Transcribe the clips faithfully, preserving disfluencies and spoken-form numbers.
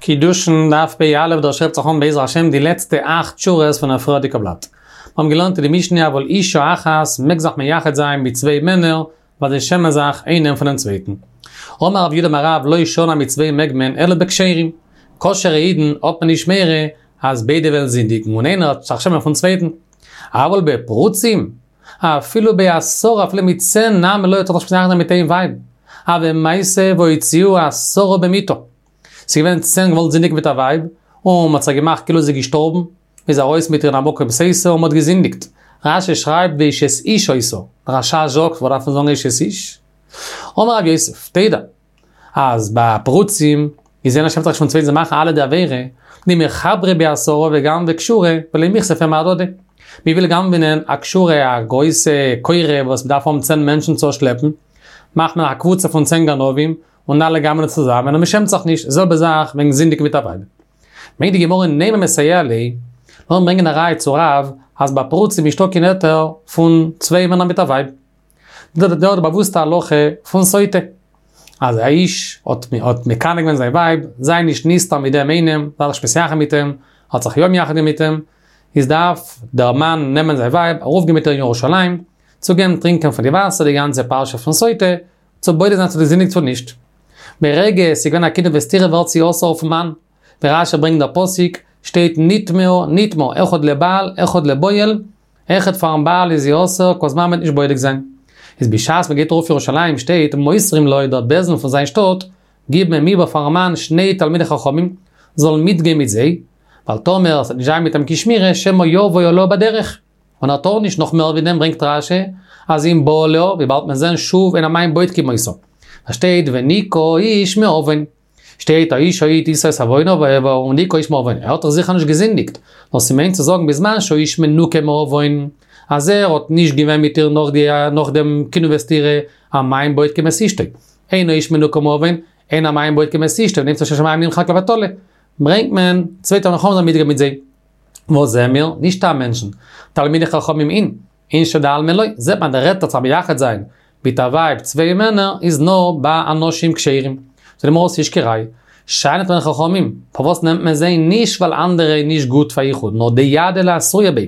קידושין דף פ"א, דא שרייבט זיך אן בעזר השם די לעצטע אכט שורות פון א פריערדיגע בלאט. מיר האבן געלערנט אין די משנה אבל אישה אחת מעג זיך מייחד זיין מיט צוויי מענער ווייל זיי שעמען זיך איינעם פונעם צווייטן. אמר רב יהודה אמר רב לא שנו אז מיט צוויי מעג מען אלא בכשרים. כשר'ע אידן האט מען נישט מורא אז ביידע וועלן זינדיגן און איינער וועט זיך שעמען פון צווייטן. אבל בפרוצים, אפילו בעשרה אפילו מיט צען נמי לא טאר זיך נישט מתייחד זיין מיט איין ווייב. הוה מעשה והוציאוה עשרה במיתה. ס'איז געווען צען געוואלט זינדיגן מיט א ווייב, און מ'האט זיך געמאכט כאילו זי איז געשטארבן, מ'איז ארויס מיט איר אין א מקום סוטה און מ'האט געזינדיגט. רש"י שרייבט ואשת איש היתה, דער רש"ש זאגט וואס דארף מען זאגן אשת איש? אמר רב יוסף, תדע, אז ביי פרוצים איז איינער שעמט זיך נישט פון צווייטן זיי מאכן אלע די עבירה, דמיחברי בעשרה וגנבי כשורה ולא מיכספי מהדדי. מ'וויל גנב'נען א כשורה א גרויסע כורה וואס מ'דארף האבן צען מענטשן צו שלעפן, מאכט מען א קבוצה פון צען גנבים, און אלע גנב'נען צוזאמען און מ'שעמט זיך נישט, זעלבע זאך וועגן זינדיגן מיט א ווייב. ברענגט די גמרא נימא מסייע ליה, לאמיר ברענגען א ראיה צו רב אז ביי פרוצים נישטא קיין היתר פון צוויי מענער מיט א ווייב. דא די באוואוסטע הלכה פון סוטה, אז א איש האט האט מקנא געווען זיין ווייב, זיי נישט נסתר מיט דעם איינעם, זיי זיך נישט מתייחד מיט אים, האט זיך יא מייחד געווען מיט אים, איז דארף דער מאן נעמען זיין ווייב, ארויפגיין מיט איר אין ירושלים, צו געבן טרינקען פון די וואסער, די גאנצע פרשה פון סוטה, צו בודק זיין צו זי זינדיגט צו נישט. ברגע עס איז געווען א קינוי וסתירה ווערט זי אסור אויפן מאן. ווי רש"י ברענגט דער פסוק, שטייט נטמאה נטמאה, אחד לבעל אחד לבועל, אויכעט פארן בעל איז זי אסור כל זמן מ'וועט נישט בודק זיין. איז בשעת מ'גייט ארויף ירושלים שטייט מוסרים לו דער בית דין פון זיין שטאט גיבן אים איבער פארן מאן שני תלמידי חכמים זאלן מיטגיין מיט זיי, ווייל טאמער עס וועט נישט זיין מיט אים קיין שמירה שמא יבוא עליה בדרך. און ער טאר נישט נאך מער ווי דעם ברענגט רש"י אז אם בא עליה וויבאלד מיר זעהן שוב אין המים בודקים אותה שטייט ונקה האיש מעון שטייט האשה ההיא תשא את עוונה ונקה האיש מעון ער האט דאך זיכער נישט געזינדיגט נאר ס'מיינט צו זאגן בזמן שהאיש מנוקה מעון אז ער האט נישט געווען מיט איר נאך די נאך דעם קינוי וסתירה המים בודקים את אשתו אין האיש מנוקה מעון אין המים בודקים את אשתו ונמצא שם שמים נמחק לבטלה ברענגט מען צוויי תלמידי חכמים זאלן מיטגיין מיט זיי. וואס זעען מיר? נישט סתם מענטשן. תלמידי חכמים אין, אינשי דעלמא לא, זעט מען דער היתר צו מייחד זיין מיט א ווייב צוויי מענער איז נאר ביי אנשים כשרים. זאגט די גמרא ס'נישט קיין ראיה. שאני תלמידי חכמים, פארוואס נעמט מען זיי? נישט ווייל אנדערע איז נישט גוט פאר יחוד, נאר דידעי לאתרויי ביה.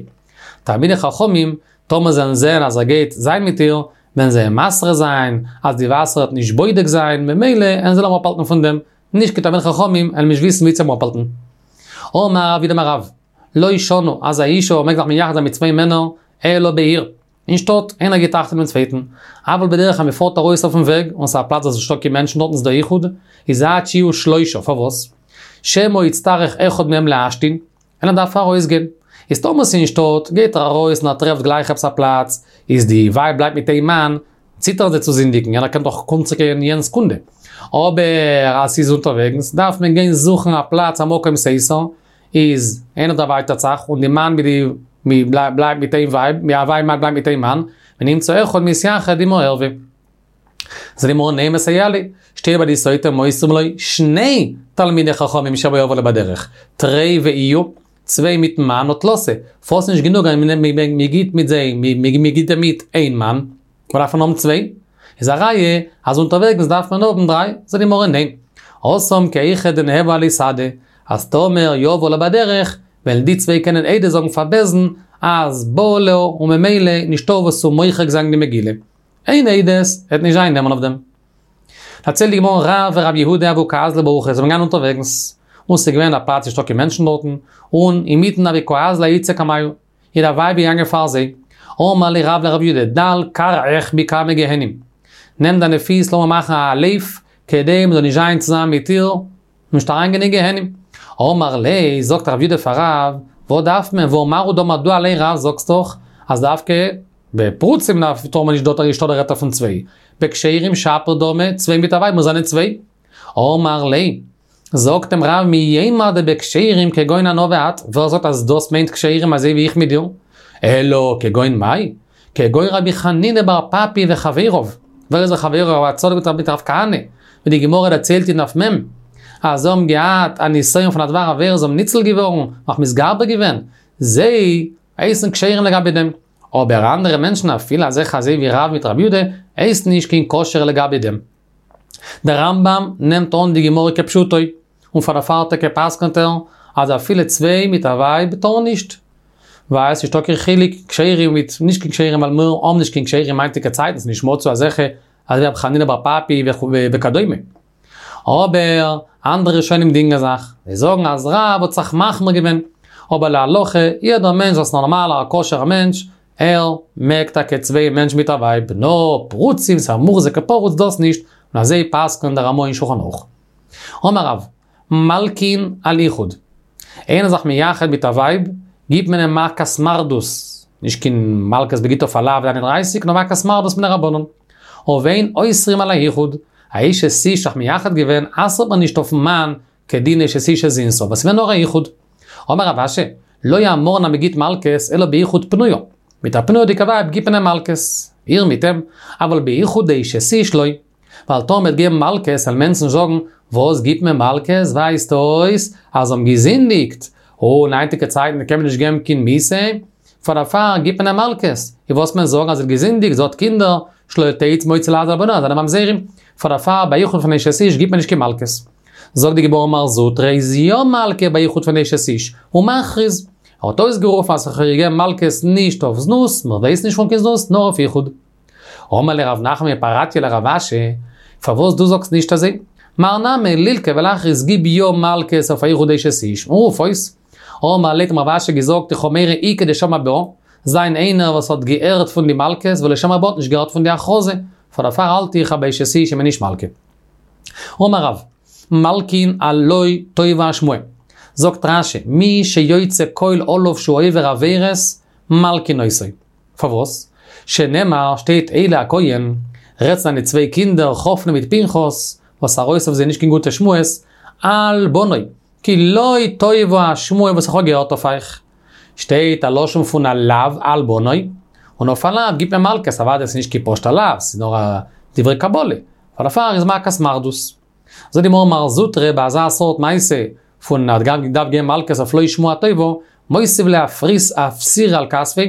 תלמידי חכמים, טאמער זיי וועלן זען אז ער גייט זיין מיט איר, וועלן זיי אים מתרה זיין אז די וואסער וועט נישט בודק זיין, ממילא וועלן זיי אים אפהאלטן פון דעם. נישט קיין תלמידי חכמים וועלן נישט וויסן ווי צו אים אפהאלטן. אמר רב יהודה אמר רב, לא שנו, אז א אישה מעג זיך מייחד זיין מיט צוויי מענער, אלא בעיר, אין שטאט, איינער גיט אכט אויף דעם צווייטן, אבל בדרך אז מ'פארט ארויס אויפן וועג, און ס'איז א פלאץ וואס נישטא קיין מענטשן דארטן איז דא יחוד, איז עד שיהיו שלושה, פארוואס? שמא יצטרך אחד מהם להשתין, איינער דארף ארויסגיין, איז טאמער ס'איז אין שטאט, גייט ער ארויס און ער טרעפט גלייך עפעס א פלאץ, איז די ווייב בלייבט מיט איין מאן, ציטערן זיי צו זינדיגן, יענער קען דאך קומט צוריק אין יענע סעקונדע. אבער אז ס'איז אונטערוועגנס, דארף מען גיין זוכן א פלאץ א מקום סוטה, איז איינער דערווייטערט זיך, און די מאן מיט די בלייבט מיט איין ווייב, די ווייב בלייבט מיט איין מאן, ונמצא אחד מתייחד עם הערוה. זאגט די גמרא נימא מסייע ליה, שטייט ביי די סוטה מוסרים לו שני תלמידי חכמים שמא יבוא עליה בדרך, תרי ואיהו, צוויי מיטן מאן הא תלתא, פארוואס נישט גענוג אז מ'גיט מיט זיי, מ'גיט אים מיט איין מאן, וואס דארף מען האבן צוויי? איז א ראיה אז אונטערוועגנס דארף מען האבן דריי, זאגט די גמרא ניין, התם כי היכי דניהוו עליה סהדי, אז טאמער יבוא עליה בדרך, וועלן די צוויי קענען עדות זאגן פאר בית דין אז בא עליה און ממילא נישטא וואס צו מוחק זיין די מגילה. אן עדות וועט נישט זיין נאמן אויף דעם. דערציילט די גמרא רב ורב יהודה הוו קאזלי באורחא זיי זענען געגאנגען אונטערוועגנס, און ס'איז געווען א פלאץ נישטא קיין מענטשן דארטן, און אינמיטן הוה קאזלא אאיתתא קמייהו, איז א ווייב געגאנגען פאר זיי, אמר ליה רב לרב יהודה דל כרעיך מקמי גיהנום, נעם דיינע פיס לאמיר מאכן א לויף, כדי מ'זאל נישט זיין צוזאמען מיט איר, נישט אריינגיין אין גיהנום. אמר ליה, זאגט רב יהודה פאר רב, וואס דארף מען, והא מר הוא דאמר דו אליין רב זאגסט דאך אז דווקא בפרוצים דארף טאר מען נישט דארט נישטא דער היתר פון צוויי, בכשרים שפיר דמי, צוויי מיט א ווייב מוז זיין צוויי. אמר ליה, זאגט אים רב מי יימר דבכשרים כגון אנא ואת, ווער זאגט אז דאס מיינט כשרים אזוי ווי איך מיט דיר? אלא כגון מאי? כגון רבי חנינא בר פפי וחביריו, ווער איז דער חבריו רב צדוק מיט רב כהנא, ווי די גמרא דערציילט אין דף מ', אז זיי האבן געהאט א נסיון פון א דבר עבירה זיי האבן ניצול געווארן, נאך מתגבר געווען, זיי הייסן כשרים לגבי דעם, אבער אנדערע מענטשן אפילו אזעלכע אזוי ווי רב מיט רב יודא הייסן נישט קיין כשר לגבי דעם. דער רמב ם נעמט אן די גמרא כפשוטו, און פאר דערפאר טאקע פסק'נט ער, אז אפילו צוויי מיט א ווייב טארן נישט. ווייל ס'איז נישטא קיין חילוק כשרים מיט נישט קיין כשרים, ווייל מיר האבן נישט קיין כשרים היינטיגע צייטן, ס'איז נישט מצוי אזעלכע, אזוי ווי רבי חנינא בר פפי וכדומה. אבער אנדערע ראשונים דינגען זיך, זיי זאגן אז רב האט זיך מחמיר געווען, אבער להלכה, יעדער מענטש וואס איז נארמאל א כשר'ער מענטש, ער מעג טאקע צוויי מענטשן מיט א ווייב, נאר פרוצים, ס'איז א מוחזק כפרוץ דאס נישט, און אזוי פסק'נט דער רמ"א אין שולחן ערוך. אמר רב, מלקין על יחוד. איינער זיך מייחד מיט א ווייב, גיבט מען אים מכת מרדות, נישט קיין מלקות מ'גיט אויף א לאו איין און דרײַסיק, נאר מכת מרדות מדרבנן. ואין אוסרים על היחוד, א אשת איש זיך מייחד געווען, אסר'ט מען נישט אויפ'ן מאן כדין אשת איש שזינתה, ווייל ס'געווען נאר א יחוד. אמר רב אשי, לא אמרן אז מ'גיט מלקות אלא ביחוד פנויה. מיט א פנויה'דיגע ווייב גיט מען אים מלקות, איר מיט אים, אבל ביחוד דאשת איש לא. ווייל טאמער מ'וועט געבן מלקות וועלן מענטשן זאגן, וואס גיט מען מלקות, ווייזט אויס אז זיי האבן געזינדיגט, און היינטיגע צייטן קען מען נישט געבן קיין מיתה, פאר דערפאר גיט מען אים מלקות, און וואס מען זאגן אז זי האט געזינדיגט, זי האט קינדער, שלא תצא מוציא לעז על בניה, זענען ממזרים, פאר דערפאר ביי יחוד פון אשת איש גיט מען נישט קיין מלקות. זאגט די גמרא מר זוטרא איז יא מלקה ביי יחוד פון אשת איש, ומכריז, ער האט אויסגערופן אז איך האב געגעבן מלקות נישט אויף זנות, מען ווייסט נישט פון קיין זנות, נאר אויף יחוד. אמר ליה רב נחמן מפרטיא לרב אשי, פארוואס דו זאגסט נישט אזוי? מר נמי לילקי ולכריז גיב יא מלקות אויף א יחוד אשת איש, און רוף אויס. אמר ליה האט אים רב אשי געזאגט איך האב מורא איכא דשמע בה, זיין איינער וואס האט געהערט פון די מלקות ולא שמע בה האט נישט געהערט פון די הכרזה, פאר דערפאר האלט איך אז ביי אשת איש איז מען נישט מלקה. אמר רב, מלקין על לא טובה השמועה. זאגט רש"י, מי שיוצא קול עליו שהוא עובר עבירות, מלקין אותו. פארוואס? שנאמר, שטייט עלי הכהן, רעדט צו זיינע צוויי קינדער חפני מיט פנחס, וואס ארויס אויף זיי נישט קיין גוטע שמועות, על בני, כי לא טובה השמועה וואס איך האב געהערט אויף אייך. שטייט א לשון פון א לאו על בני, און אויף א לאו גיבט מען מלקות, אוודאי ס'איז נישט קיין פשוט'ע לאו, ס'איז נאר א דברי קבלה, פאר דערפאר איז מכת מרדות. זאגט די גמרא מר זוטרא ביי אזא סארט מעשה פון האט געדארפט געבן מלקות אויף לא שמועה טובה, מותיב ליה אפסירא על כתפיה,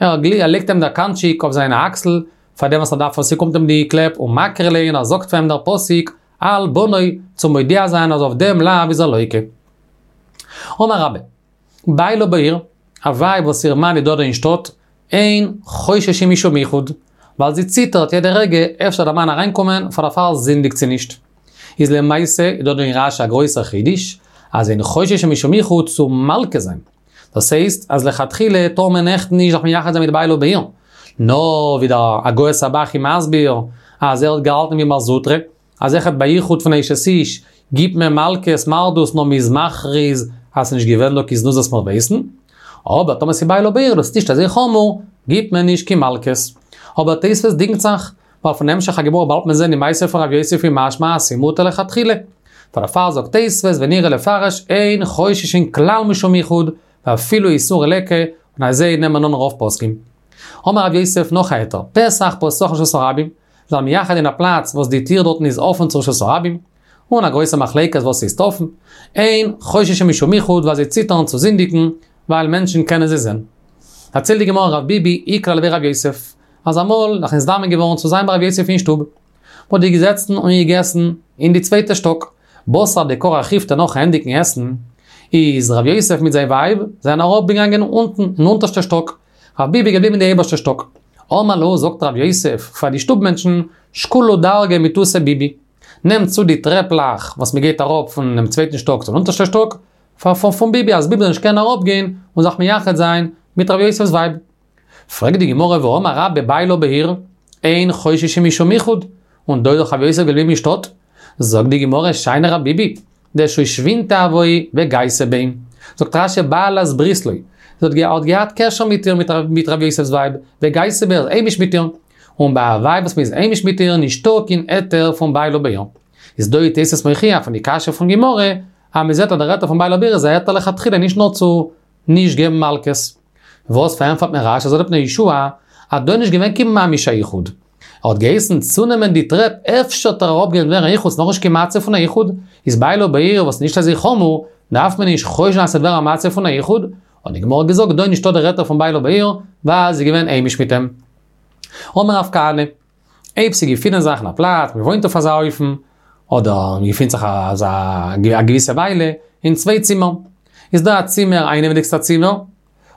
ער לייגט אים דער קאנטשיק אויף זיין אקסל, פאר דעם וואס ער דארף וואס ס'קומט אים די קלעפ, ומקרי ליה און ער זאגט פאר אים דער פסוק על בני צו מודיע זיין אז אויף דעם לאו איז ער לוקה. אמר רבה, בעלה בעיר, א ווייב וואס איר מאן איז דא דא אין שטאט, אין חוששין משום יחוד, ווייל זי ציטערט יעדע רגע אפשר דער מאן אריינקומען, פאר דערפאר זינדיגט זי נישט. איז למעשה איז דא דא אין רש"י א גרויסער חידוש, אז אין חוששין משום יחוד צו מלקה זיין. דאס הייסט אז לכתחילה טאר מען עכט נישט זיך מייחד זיין מיט בעלה בעיר. נאר ווי דער הגהות הב"ח איז מסביר אז ער האט געהאלטן ווי מר זוטרא, אז אויכעט ביי יחוד פון אשת איש גיבט מען מלקות מרדות נאר מ'איז מכריז אז ס'נישט געווען דא קיין זנות וואס מיר ווייסן, אבער טאמער ס'איז בעלה בעיר דאס איז נישט אזוי חמור, גיבט מען נישט קיין מלקות. אבער תוספות דינגט זיך, ווייל פון המשך הגמרא באלד מען זען די מעשה פון רב יוסף איז משמע אז ס'מותר לכתחילה. פאר דערפאר זאגט תוספות ונראה לפרש אין חוששין כלל משום יחוד ואפילו איסורא ליכא, און אזוי נעמען אן רוב פוסקים. אמר רב יוסף נאך א היתר, פתח פתוח לרשות הרבים, זיך מייחד אין א פלאץ וואס די טיר דארטן איז אפען צו רשות הרבים, און א גרויסע מחלוקת וואס הייסט אפען, אין חוששין משום יחוד ווייל זיי ציטערן צו זינדיגן ווייל מענטשן קענען זיי זען. דערציילט די גמרא רב ביבי איקלע לבי רב יוסף, אז אמאל זיך נזדמן געווארן צו זיין ביי רב יוסף אין שטוב, מ'האט די געזעצן און געגעסן אין די צווייטע שטאק, בתר דכרך ריפתא נאכן ענדיגן עסן, איז רב יוסף מיט זיין ווייב זענען אראפגעגאנגען אונטן אין אונטערשטע שטאק, רב ביבי געבליבן אין די אייבערשטע שטאק. אמר להו זאגט רב יוסף פאר די שטוב מענטשן, שקולו דרגא מתותיה ביבי, נעמט צו די טרעפלעך וואס מען גייט אראפ פונעם צווייטן שטאק צום אונטערשטע שטאק, פאר פון ביבי אז ביבי זאל נישט קענען אראפגיין און זיך מייחד זיין מיט רב יוסף'ס ווייב. פרעגט די גמרא והאמר רבה בעלה בעיר, אין חוששין משום יחוד, און דא איז דאך רב יוסף געבליבן אין שטאט. זאגט די גמרא שאני רב ביבי, דשושבינתיה הואי וגייסה ביה. זאגט רש"י בעלת ברית לא. זי האט געהאט קשר מיט איר מיט רב יוסף'ס ווייב, וגייסה ביה, היימיש מיט איר. און ביי א ווייב וואס מ'איז היימיש מיט איר נישטא קיין היתר פון בעלה בעיר. איז דא איז תוס' מוכיח פון די קשיא פון גמרא, אז מ'זעט אז דער היתר פון בעלה בעיר איז א היתר לכתחילה נישט נאר צו נישט געבן מלקות. וואס פארענטפערט מען רש"י זאגט דער פני יהושע אז דא איז נישט געווען קיין ממש א יחוד. ער האט געהייסן צונעמען די טרעפ אפשר וועט ער אראפגיין ווערן א יחוד ס'נאכנישט קיין מצב פון א יחוד, איז בעלה בעיר וואס נישט אזוי חמור, דארף מען נישט חושש זיין אז ס'וועט ווערן א מצב פון א יחוד, האט די גמרא געזאגט דא איז נישטא דער היתר פון בעלה בעיר ווייל זי איז געווען היימיש מיט אים. אמר רב כהנא, אויב ס'געפינען זיך אין א פלאץ, מ'וואוינט אויף אזא אופן, אדער מ'געפינט זיך אזא א געוויסע וויילע, אין צוויי צימערן. איז דא א צימער, א אינעווייניגסטע צימער,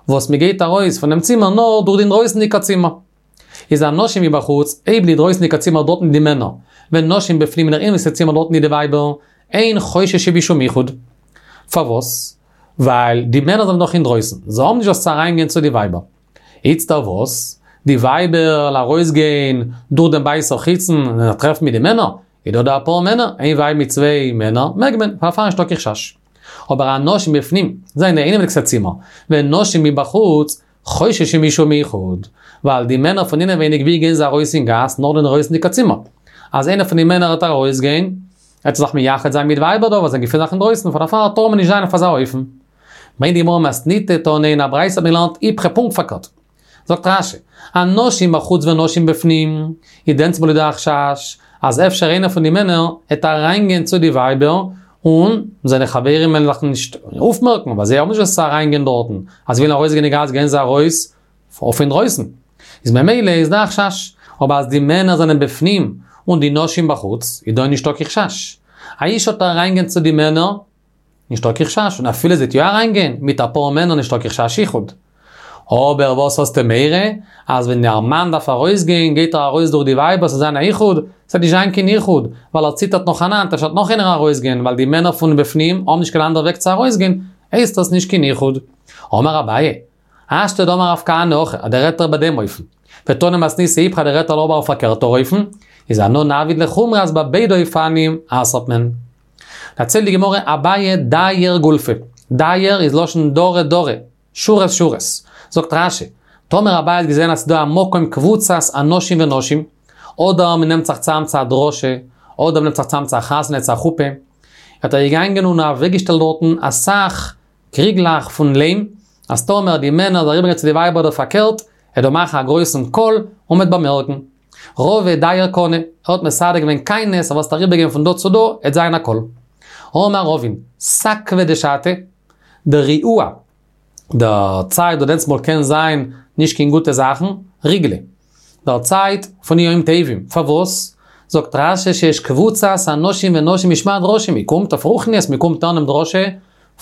וואס מ'גייט ארויס פון דעם צימער נאר דורך די אינדרויסנדיגע צימער. איז הנשים מבחוץ, אויב די דרויסנדיגע צימער דארטן די מענער, ונשים בפנים אין דער אינעווייניגסטע צימער דארטן די ווייבער, אין חוששין משום יחוד. פארוואס? ווייל די מענער זענען דאך אינדרויסן, זיי האבן נישט וואס צו אריינגיין צו די ווייבער. איצטער וואס? די ווייבער וועלן ארויסגיין דורך דעם בית החיצון און זיך טרעפן מיט די מענער? איז דא דא אפאר מענער, איין ווייב מיט צוויי מענער, מעג מען, פארפארן נישטא קיין חשש. אבער הנשים בפנים, זיי אין די אינעווייניגסטע צימער, ונשים מבחוץ, חוששים משום יחוד, ווייל די מענער פון אינעווייניג ווי גייען זיי ארויס אין גאס נאר די אינדרויסנדיגע צימער. אז איינער פון די מענער וועט ארויסגיין, וועט ער זיך מייחד זיין מיט ווייבער דא וואס זיי געפינען זיך אינדרויסן, פאר דערפאר טאר מען נישט זיין אויף אזא אופן. ברענגט די גמרא מתניתא תנא אין א ברייתא האט מען געלערנט איפכא פונקט פארקערט. זאגט רשי, הנשים בחוץ ונשים בפנים, איז דענסטמאל איז דא א חשש אז אפשר איינער פון די מענער העט אריינגיין צו די ווייבער און זיינע חברים וועלן זיך נישט אויפמערקן ווייל זיי האבן נישט וואס צו אריינגיין דארטן, אז זיי ווילן ארויסגיין אין גאס גייען זיי ארויס אויף אינדרויסן. איז ממילא איז דא א חשש. אבער אז די מענער זענען בפנים און די נשים בחוץ, איז דא נישטא קיין חשש. א אשה וועט אריינגיין צו די מענער, נישטא קיין חשש, און אפילו זי וועט יא אריינגיין מיט אפאר מענער נישטא קיין חשש יחוד. אבער וואס האסטו מורא? אז ווען דער מאן דארף ארויסגיין גייט ער ארויס דורך די ווייבער ס'זאל זיין א יחוד? ס'וועט נישט זיין קיין יחוד, ווייל ער ציטערט נאכאנאנד אפשר וועט נאך איינער ארויסגיין ווייל די מענער פון בפנים האבן נישט קיין אנדערע וועג צו ארויסגיין, הייסט דאס נישט קיין יחוד. אמר אביי, השתא דאמר רב כהנא הכי, אז דער רעדט ער ביי דעם אופן. ותנא מתניתא איפכא דער רעדט ער אבער אויף פארקערטער אופן, איז אנא נעביד לחומרא אז ביי ביידע אופנים אסר'ט מען. דערציילט די גמרא אביי דייר גולפי, דייר איז לשון דרי דרי, שורות שורות. זאגט רשי, טאמער אביי האט געזען אז ס'דא א מקום קבוצת אנשים ונשים, אדער מ'נעמט זיך צאם צו א דרשה, אדער מ'נעמט זיך צאם צו א חתונה צו א חופה, האט ער געגאנגען און אוועקגעשטעלט דארטן אסאך קריגלעך פון ליים, אז טאמער די מענער זאלן אריבערגיין צו די ווייבער אדער פארקערט, ער דארף מאכן א גרויסן קול און מ'וועט באמערקן. רבא דייר קני, ער האט מסדר געווען קיינעס אז וואס אריבערגיין פון דא צו דא, עט זיין א קול. אמר רבין, סקבא דשתא, דריעוה, דער צייט וואס דענסטמאל קען זיין נישט קיין גוטע זאכן, ריגלא, דער צייט פון ימים טובים, פארוואס? זאגט רשי שיש קבוצת אנשים ונשים לשמוע דרשה, מען קומט אויף רוחניות, מען קומט הערן דעם דרשה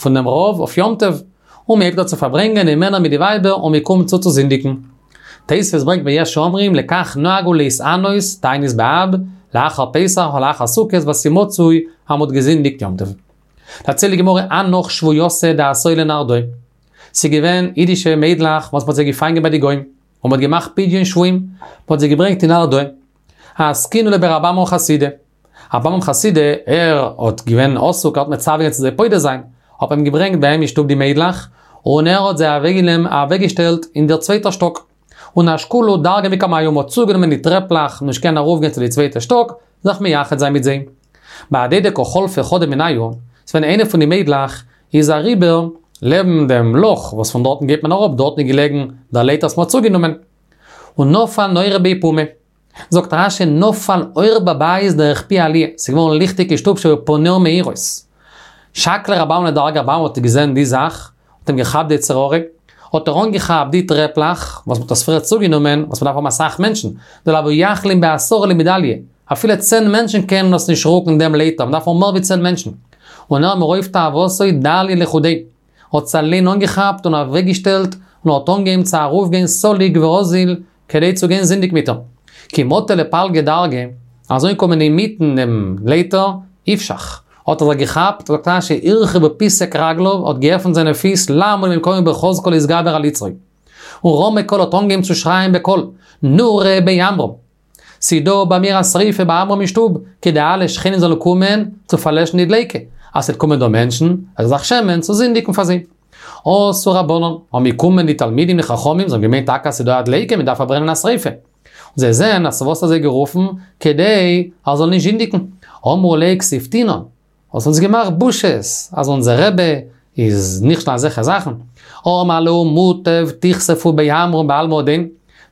פון דעם רב אויף יום טוב, און מען הייבט אן צו פארברענגען די מענער מיט די ווייבער און מען קומט צו צו זינדיגן. תוספות ברענגט ויש אומרים לכך נהגו להתענות תענית באב, לאחר פסח ולאחר סוכות ווייל ס'מצוי אז מ'האט געזינדיגט יום טוב. דערציילט די גמרא הנך שבויתא דאתאי לנהרדעא. ס'איז געווען אידישע מיידלעך וואס מ'האט זיי געפאנגען ביי די גוים, און מ'האט געמאכט פדיון שבויים, מ'האט זיי געברענגט אין נהרדעא. אסקינהו לבי רב עמרם חסידא. רב עמרם חסידא, ער האט געווען עסוק, ער האט מצווה געווען צו זיי פודה זיין, האט מען אים געברענגט ביי אים אין שטוב די מיידלעך, און ער האט זיי אוועקגעשטעלט אין דער צווייטער שטאק. און אשקולהו דרגא מקמייהו, מ'האט צוגענומען די טרעפלעך, נישט קענען ארויפגיין צו די צווייטע שטאק, זיך מייחד זיין מיט זיי. בהדי דקא חלפה חדא מינייהו, ס'ווען איינע פון די מיידלעך איז אריבער לעבן דעם לאך וואס פון דארטן גייט מען אראפ, דארטן איז געלעגן דער לייטער וואס מ'האט צוגענומען. און נפל נורא בי פומיה. זאגט רשי נפל אור בבית דרך פי עליה, ס'איז געווארן ליכטיג אין שטוב שהיו פניה מאירות. שקליה רב עמרם לדרגא רב עמרם האט געזען די זאך, האט אים געכאפט די יצר הרע, האט ער אנגעכאפט די טרעפלעך, וואס מ'האט עס פריער צוגענומען, וואס מ'דארף האבן אסאך מענטשן, דלא הוו יכלין בעשרה למידליה, אפילו צען מענטשן קענען עס נישט רוקן דעם לייטער, מ'דארף האבן מער ווי צען מענטשן. און ער מרוב תאוותו דליה לחודיה, האט עס אליין אנגעכאפט און אוועקגעשטעלט, און האט אנגעהויבן צו ארויפגיין סליק ואזיל, כדי צו גיין זינדיגן מיט איר. כי מטא לפלגא דרגא, אזוי אנקומען אינמיטן דעם לייטער, איפשח, האט ער זיך געכאפט, זאגט רשי, הרחיב ופיסק רגליו, האט געעפנט זיינע פיס לעמוד במקומו בחזקה להתגבר על יצרו. און רמי קלא האט אנגעהויבן צו שרייען בקול, נורא בי עמרם! ס'דא ביי מיר א שריפה ביי עמרם אין שטוב, כדי אלע שכנים זאלן קומען צו פארלעשן די דליקה, אז ס'וועט קומען דא מענטשן, וועט ער זיך שעמען צו זינדיגן פאר זיי. אתו רבנן, האבן געקומען די תלמידים די חכמים, זיי האבן געמיינט טאקע אז ס'איז דא א דליקה, מ'דארף פארברענען א שריפה. און זיי זעען אז צו וואס האט זיי גערופן, כדי ער זאל נישט זינדיגן. אמרו ליה כסיפתינן, האסט אונז געמאכט בושות, אז אונזער רבי איז נכשל אין אזעלכע זאכן. אמר להו מוטב תכספו בי עמרם בעלמא הדין,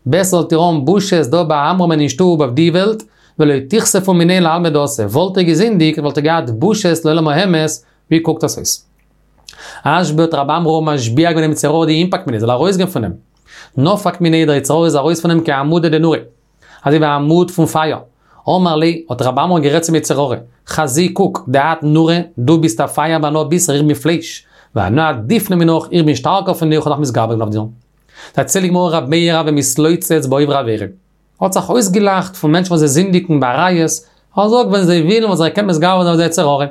בעסער זאלט איר האבן בושות דא ביי עמרמ'ן אין שטוב אויף די וועלט, ולא תכספו מיניה לעלמא דאתי, וואלט איר געזינדיגט וואלט איר געהאט בושות לעולם האמת, ווי קוקט עס אויס? אשבעיה האט רב עמרם משביע געווען דעם יצר הרע דינפק מיניה, זאל ארויסגיין פון אים. נפק מיניה, דער יצר הרע איז ארויס פון אים כעמודא דנורא, אזוי ווי א עמוד פון פייער. אמר ליה, האט רב עמרם גערעדט צום יצר הרע, חזי קוק, דאת נורא, דו ביסט א פייער ואנא בישרא, איך בין פלייש. ואנא עדיפנא מינך, איך בין שטארקער פון דיר, איך האב זיך מתגבר געווען אויף דיר. דערציילט די גמרא רב מאיר הוה מתלוצץ בעוברי עבירה. האט זיך אויסגעלאכט פון מענטשן וואס זיי זינדיגן בעריות, ער זאגט ווען זיי ווילן וואלט זיך געקענט מתגבר זיין אויף די יצר הרע.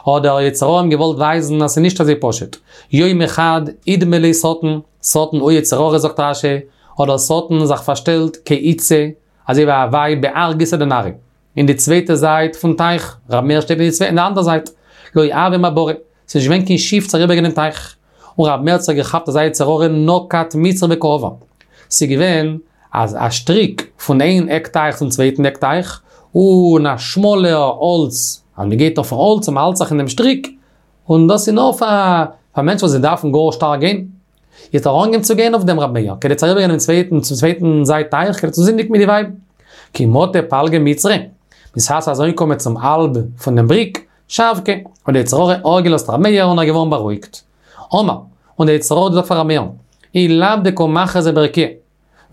האט דער יצר הרע אים געוואלט ווייזן אז ס'איז נישט אזוי פשוט. יום אחד אידמי ליה שטן, שטן הוא יצר הרע זאגט רשי, האט דער שטן זיך פארשטעלט כאיתתא, אזוי ווי א ווייב בהר גיסא דנהרא, אין די צווייטע זייט פון טייך, ר' מאיר שטייט אין די אנדערע זייט, לא הוה מעברה, ס'איז נישט געווען קיין שיף צו אריבערגיין דעם טייך, און ר' מאיר האט זיך געכאפט אזא יצר הרע נקט מצרא וקא עבר, ס'איז געווען א שטריק פון איין עק טייך צום צווייטן עק טייך, און א שמאלער האלץ, אז מ'גייט אויפן האלץ און מ'האלט זיך אין דעם שטריק, און דאס איז נאר פאר מענטשן וואס זיי דארפן גאר שטארק גיין. האט ער אנגעהויבן צו גיין אויף דעם רב מאיר, כדי צו אריבערגיין דעם צווייטן צום צווייטן זייט טייך כדי צו זינדיגן מיט די ווייב. כי מטא פלגא מצרא, בשעת ער איז אנגעקומען צום האלב פון דעם בריק, שבקיה, האט דער יצר הרע אפגעלאזט רב מאיר און ער איז געווארן בארואיגט. אמר, און דער יצר הרע האט געזאגט פאר רב מאיר, אי לאו דקא מכרזי ברקיעא,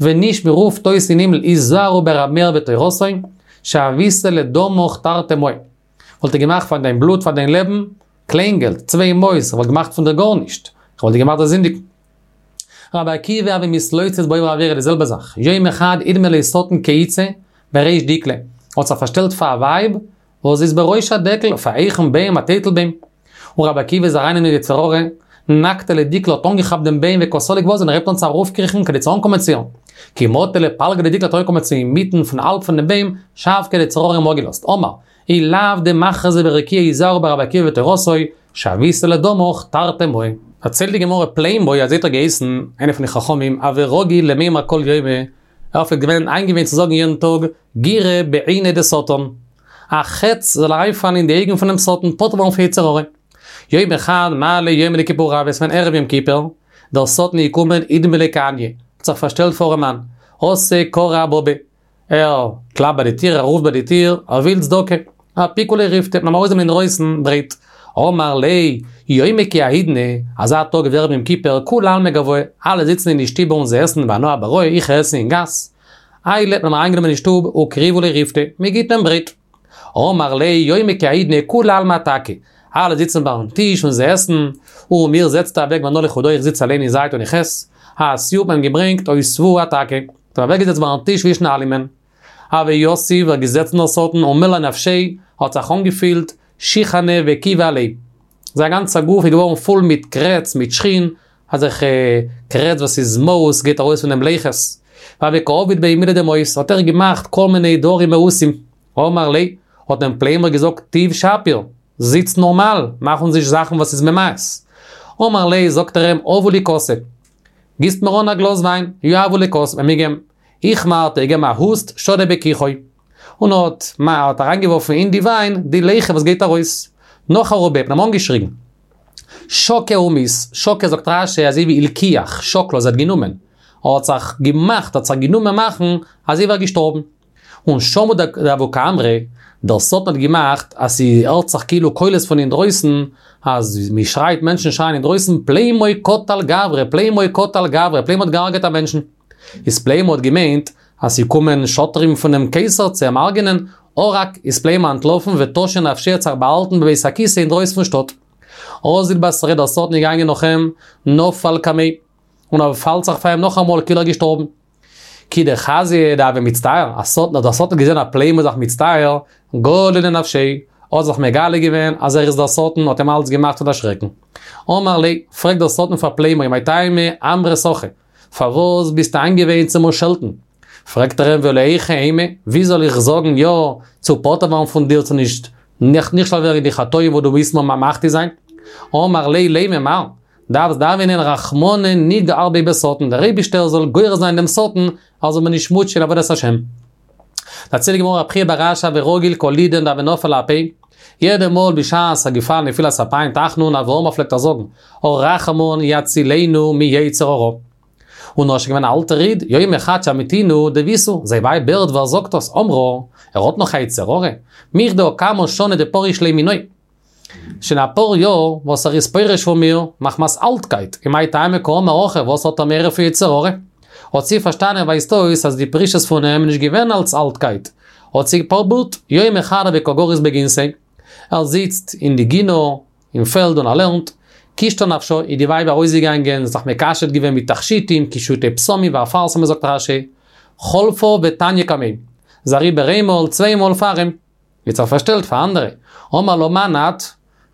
ווען נישט מען רופט אויס אין הימל היזהרו ברב מאיר ותורתו, שויתיה לדמך תרתי מאה. וואלט איך געמאכט פאר דיין בלוט פאר דיין לעבן, קליין געלט, צוויי מאות, איך וואלט געמאכט פון דיר גארנישט, איך וואלט דיר געמאכט זאלסט זינדיגן. רבי עקיבא הוה מתלוצץ בעוברי עבירה די זעלבע זאך, יום אחד אידמי ליה שטן כאיתתא בריש דיקלא, האט זיך פארשטעלט פאר א ווייב וואס איז בראש הדקל אויף א הויכן בוים א טייטל בוים, און רבי עקיבא איז אריין אין יצר הרע, נקטיה לדיקלא האט אנגעכאפט דעם בוים וקא סליק ואזיל און ער הייבט אן צו ארויפקריכן כדי צו אנקומען צו איר. כי מטא לפלגא דדיקלא האט אנגעקומען צו אינמיטן פון האלב פון דעם בוים, שבקיה דער יצר הרע אים אפגעלאזט. אמר, אי לאו דמכרזי ברקיעא היזהרו ברבי עקיבא ותורתו, שויתיה לדמך תרתי מאה. דערציילט די גמרא פלימו אזוי האט ער געהייסן, איינער פון די חכמים, הוה רגיל למימר כל יומא, ער פלעגט געווען איינגעוואינט צו זאגן יעדן טאג, גירא בעיניה דשטן. א חץ זאל אריינפאלן אין די אויגן פונעם שטן, פטור ווערן פון יצר הרע. יום אחד מעלי יומא דכיפורי הוה, ס'איז געווען ערב יום כיפור, דער שטן איז געקומען אידמי ליה כעניא, האט זיך פארשטעלט פאר ארעמאן, אתא קרי אבבא, ער קלאפט ביי די טיר, ער רופט ביי די טיר, ער וויל צדקה, אפיקו ליה ריפתא, מ'האט אים ארויסגענומען אינדרויסן ברויט, אמר ליה, יומא כי האידנא, אזא טאג ווי ערב יום כיפור, כולי עלמא גואי, אלע זיצן אין די שטיבער און זיי עסן ואנא אבראי, איך עס אין גאס. עיילי, מ'האט אים אריינגענומען אין שטוב, וקריבו ליה ריפתא, מ'גיט אים ברויט. אמר ליה יומא כי האידנא כולי עלמא אתכא, אלע זיצן ביים טיש און זיי עסן, און מיר זעצט אוועק ואנא לחודאי איך זיץ אליין אין זייט און איך עס. אתיוהו האט מען אים געברענגט אותבוהו אתכא, האט אים אוועקגעזעצט ביים טיש צווישן אלעמען. הוה יתיב, ער געזעצן דער שטן ומלי נפשיה, האט זיך אנגעפילט שיחנא וכיבא עליה. זיין גאנצע גוף איז געווארן פול מיט קרעץ, מיט שחין, אזעלכע קרעץ וואס איז מאוס גייט ארויס פון דעם לחות. והוה קא עביד ביה מילי דמאיס, האט ער געמאכט כל מיני דברים מאוסים. אמר ליה, האט אים פלימו געזאגט תיב שפיר, זיץ נארמאל, מאך אונז נישט זאכן וואס איז ממאס. אמר ליה, זאגט ער אים, הבו לי כסא, גיסט מיר אן א גלאז וויין, יהבו ליה כסא, מ'האט אים געגעבן. איכמר האט ער געגעבן א הוסט, שדי בכיחו. און האט מע האט אריינגעווארפן אין די וויין די ליחה וואס גייט ארויס. נחרו ביה, מ'האט אים אנגעשריגן. שקי ומית, שקי זאגט רש"י אזוי ווי הלקיח, שקלא אז ער האט גענומען. ער האט זיך געמאכט, האט זיך גענומען מאכן, אזוי ווי ער איז געשטארבן. און שמעו דהוו קאמרי, דער שטן האט געמאכט אז ס'הערט זיך כאילו קולות פון אינדרויסן, אז מ'שרייט, מענטשן שרייען אינדרויסן, פלימו קטל גברא, פלימו קטל גברא, פלימו האט געהארגעט א מענטשן. איז פלימו האט געמיינט אז ס'קומען שוטרים פונעם קיסר צו אים הרג'נען, ערק איז פלימו אנטלאפן ותשא נפשיה האט זיך באהאלטן בבית הכסא אינדרויסן פון שטאט. אזיל בתריה דער שטן איז געגאנגען נאך אים, נפל קמיה, און ער פאלט זיך פאר אים נאכאמאל כאילו ער איז געשטארבן. כי דחזייה דהוה מצטער, השטן, דער שטן האט געזען אז פלימו איז זיך מצטער, גלי לנפשיה, האט זיך מגלה געווען אז ער איז דער שטן האט אים אלץ געמאכט צו דערשרעקן. אמר ליה, פרעגט דער שטן פאר פלימו, מאי טעמא אמרת הכי, פארוואס ביסטו איינגעוואינט צו מיר שעלטן? פרעגט ער אים ולא היכי אימא, ווי זאל איך זאגן יא צו פטור ווערן פון דיר צו נישט נכשל ווערן אין די חטאים וואס דו ווילסט מיר מחטיא זיין? אמר ליה לימא מר, דארפסט דאווענען רחמנא ניגער ביה בשטן, דער אייבישטער זאל גורר זיין דעם שטן ער זאל מיר נישט מוטשען אין עבודת השם. דערציילט די גמרא רב חייא בר אשי הוה רגיל כל עידן דהוה נפיל לאפיה, יעדע מאל בשעת ער געפאלן נפילת אפיים תחנון הוה אמר פלעגט ער זאגן, הרחמן יצילנו מיצר הרע. און ער איז שוין געווען א אלטער איד, יומא חד שמעתינהו דביתהו, זיין ווייב הערט ווי ער זאגט דאס, אמרה, ער האט נאך א יצר הרע? מכדי הא כמה שני דפריש לי מינאי. שוין אפאר יאר וואס ער איז פורש פון מיר, מחמת אלטקייט, ומאי טעמא קאמר הכי, וואס האט ער מער פון יצר הרע? האט זי פארשטאנען ווייזט אויס אז די פרישות פון אים איז נישט געווען אלס אלטקייט, האט זי פרובירט, יומא חד הוה קא גריס בגינתיה. ער זיצט אין די גינה, אין פעלד און ער לערנט, קישטה נפשה, איז די ווייב ארויסגעגאנגען, זיך מקשט געווען מיט תכשיטים, קישוטי בשמים ואפרסמון זאגט רשי, חלפה ותניא קמיה. איז אריבער איינמאל, צוויי מאל פאר אים. האט זיך פארשטעלט פאר אנדערע. אמר לה מאן את?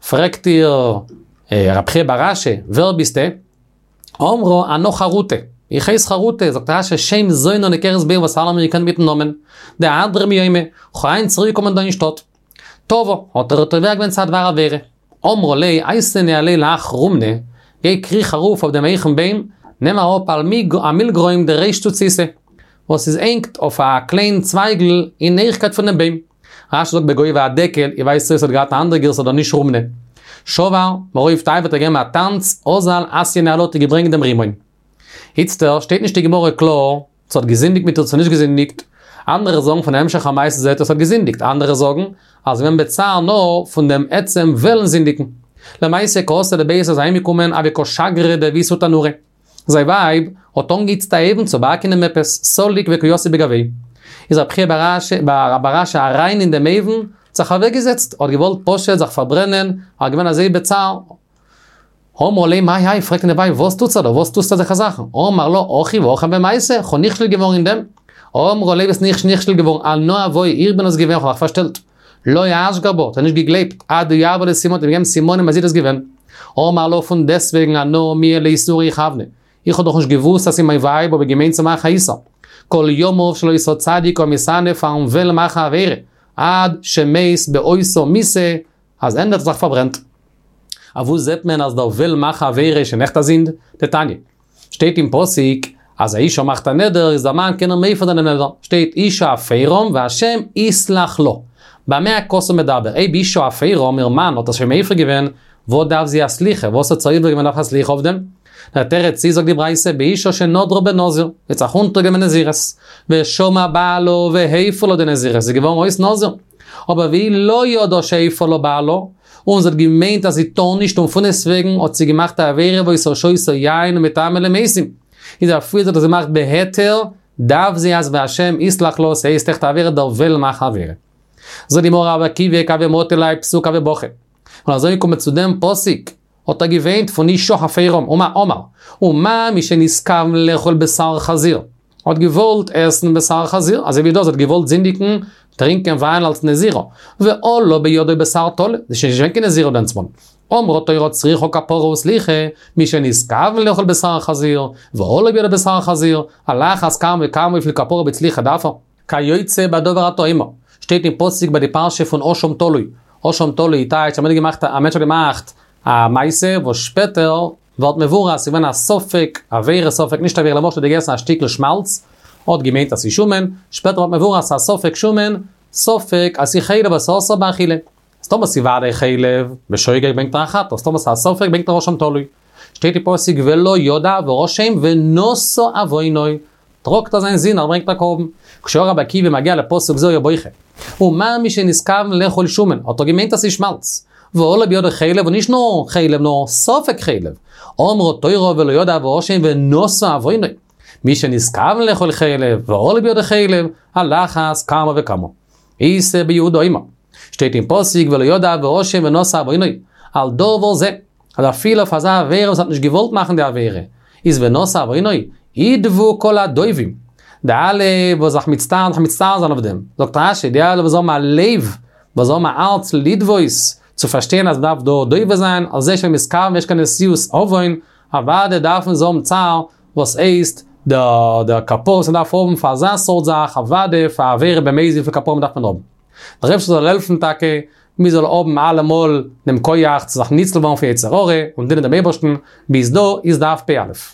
פרעגט איר רב חייא בר אשי, ווער ביסטע? אמרה אנא חרוטה. איך הייס חרוטה, זאגט רשי, שם זונה נקראת בעיר וואס אלע האבן מיר געקענט מיטן נאמען. דאהדרא מיומא, כ'האב היינט צוריקגעקומען דא אין שטאט. תבעה, האט ער איר תובע געווען צו א דבר עבירה. אמרה ליה אייתי ניהליה להך רומנא, גיי קריך ארויף אויף דעם הויכן בוים, נעם אראפ א מילגרוים דריש צוציתא, וואס איז הענגט אויף א קליין צווייגל אין הויכקייט פונעם בוים. רשי זאגט בגובה הדקל, איך ווייס צו עס האט געהאט א אנדערע גירסא אדער נישט רומנא. שבר, מרוב תאוה האט ער געגעבן א טאנץ, אזל אתייה ניהלה האט ער געברענגט דעם רימון. איצטער שטייט נישט אין גמרא קלאר צו האט געזינדיגט מיט איר צו נישט געזינדיגט, אנדערע זאגן פון המשך המעשה זעהט אויס האט געזינדיגט, אנדערע זאגן אז געווען בצער נאר פון דעם עצם וועלן זינדיגן. למעשה כי אתא לביתיה איז אהיימגעקומען הוה קא שגרא דביתהו תנורא. זיין ווייב האט אנגעהיצט א אויוון צו באקן אים עפעס, סליק וקא יתיב בגויה. איז רב חייא בר אשי אריין אין דעם אויוון, האט זיך אוועקגעזעצט, האט געוואלט פשוט זיך פארברענען, ער איז געווען אזוי בצער. אמרה ליה מאי האי, פרעגט אים די ווייב, וואס טוט זיך דא, וואס טוסטו אזעלכע זאכן? אמר לה, הכי והכי הוה מעשה, כ'האב נכשל געווארן אין דעם. אמרה ליה ביסט נישט נכשל געווארן, אנא הואי, איך בין עס געווען, כ'האב מיך פארשטעלט. לא אשגר בה, האט ער נישט געגלייבט, עד דיהבא ליה סימנא, האט אים געגעבן סימנים אז זי איז דאס געווען. אמר לה, פון דעסטוועגן אנא מיהא לאיסורא איכוונא. איך האב דאך נישט געוואוסט אז ס'איז מיין ווייב האב איך געמיינט צו מאכן א איסור. כל ימיו של אותו צדיק היה מתענה פארן וועלן מאכן א עבירה, עד שמת באותה מיתה, אז ענדליך זיך פארברענט. אוואו זעט מען אז דער וועלן מאכן א עבירה איז שוין עכט א זינד? דתניא. שטייט אין פסוק אז א אישה מאכט א נדר איז דער מאן קען איר מפר זיין דעם נדר, שטייט אישה הפרם והשם יסלח לה. במה הכתוב מדבר? אויב אישה הפרם, איר מאן האט עס שוין מפר געווען, וואס דארף זי א סליחה? וואס האט זי עובר געווען דארף א סליחה אויף דעם? דער תירוץ איז זאגט די ברייתא באישה שנדרה בנזיר, זי האט זיך אונטערגענומען נזירות, ושמע בעלה והפר לה די נזירות, זי איז געווארן אויס נזיר. אבער והיא לא ידעה שהפר לה בעלה, און זי האט געמיינט אז זי טאר נישט און פונדעסטוועגן האט זי געמאכט א עבירה והיתה שותה יין ומטמאה למתים, איז אפילו זי האט עס געמאכט בהיתר, דארף זי אז והשם יסלח לה, ס'הייסט עכט א עבירה דער וועלן מאכן עבירה. זאגט די גמרא רבי עקיבא כי הוה מטי להאי פסוקא הוה בכי. און אזוי קומט צו דעם פסוק, האט ער געוויינט פון אישה הפרם, ומה אמר, ומה מי שנתכוון לאכול בשר חזיר, האט געוואלט עסן בשר חזיר, אזוי ווי דא, זי האט געוואלט זינדיגן, טרינקען וויין אלס נזירה, ועלה בידו בשר טלה, זי איז שוין נישט געווען קיין נזירה דענסמאל. אמרה תורה צריכה כפרה וסליחה, מי שנתכוון לאכול בשר חזיר, ועלה בידו בשר חזיר, על אחת כמה וכמה וויפיל כפרה מיט סליחה דארף ער. כיוצא בדבר אתה אומר, שטייט אין פסוק ביי די פרשה פון אשם תלוי, אשם תלוי טייטש אז מען האט געמאכט א מענטש האט געמאכט א מעשה וואס שפעטער ווערט מבואר אז ס'איז געווען א ספק עבירה ספק נישט עבירה למשל האט געגעסן א שטיקל שמאלץ האט געמיינט אז ס'איז שומן, שפעטער ווערט מבואר אז ס'איז א ספק שומן ספק אז ס'איז חלב אז ס'איז אסור באכילה. אז טאמער ס'איז וודאי חלב, בשוגג ברענגט ער א חטאת, טאמער ס'איז א ספק ברענגט ער אשם תלוי. שטייט אין פסוק ולא ידע ואשם ונשא עוונו, טראגט ער זיין זינד ער ברענגט א קרבן. כשהיה רבי עקיבא מגיע לפסוק זה היה בוכה. ומה מי שנתכוון לאכול שומן, האט ער געמיינט אז ס'איז שמאלץ. ועלה בידו חלב, און נישט נאר חלב נאר ספק חלב. אמרה תורה ולא ידע ואשם ונשא עוונו. מי שנתכוון לאכול חלב, ועלה בידו חלב, על אחת כמה וכמה. איתא ביהודה אומר, שטייט אין פסוק ולא ידע ואשם ונשא עוונו, על דבר זה, אז אפילו אויף אזא עבירה וואס האט נישט געוואלט מאכן די עבירה, איז ונשא עוונו, ידוו כל הדווים, די אלע וואס זיך מצטער זיך מצטער זיין אויף דעם, זאגט רשי, די אלע וואס האבן א לב, וואס האבן א הארץ לדוות, צו פארשטיין אז מ'דארף דא דוה זיין, על זה שמתכוון ויש כאן נשיאות עוון, אוודאי דארפן זיי האבן צער, וואס הייסט, דער דער כפרה וואס מ'דארף האבן פאר אזא סארט זאך, אוודאי פאר עבירה במזיד וויפיל כפרה מ'דארף מען האבן. דער אייבערשטער זאל העלפן טאקע, מיר זאל האבן אלעמאל דעם כח צו זיך ניצל ווערן פון יצר הרע און דינען דעם אייבערשטן, ביז דא איז דף פ"א.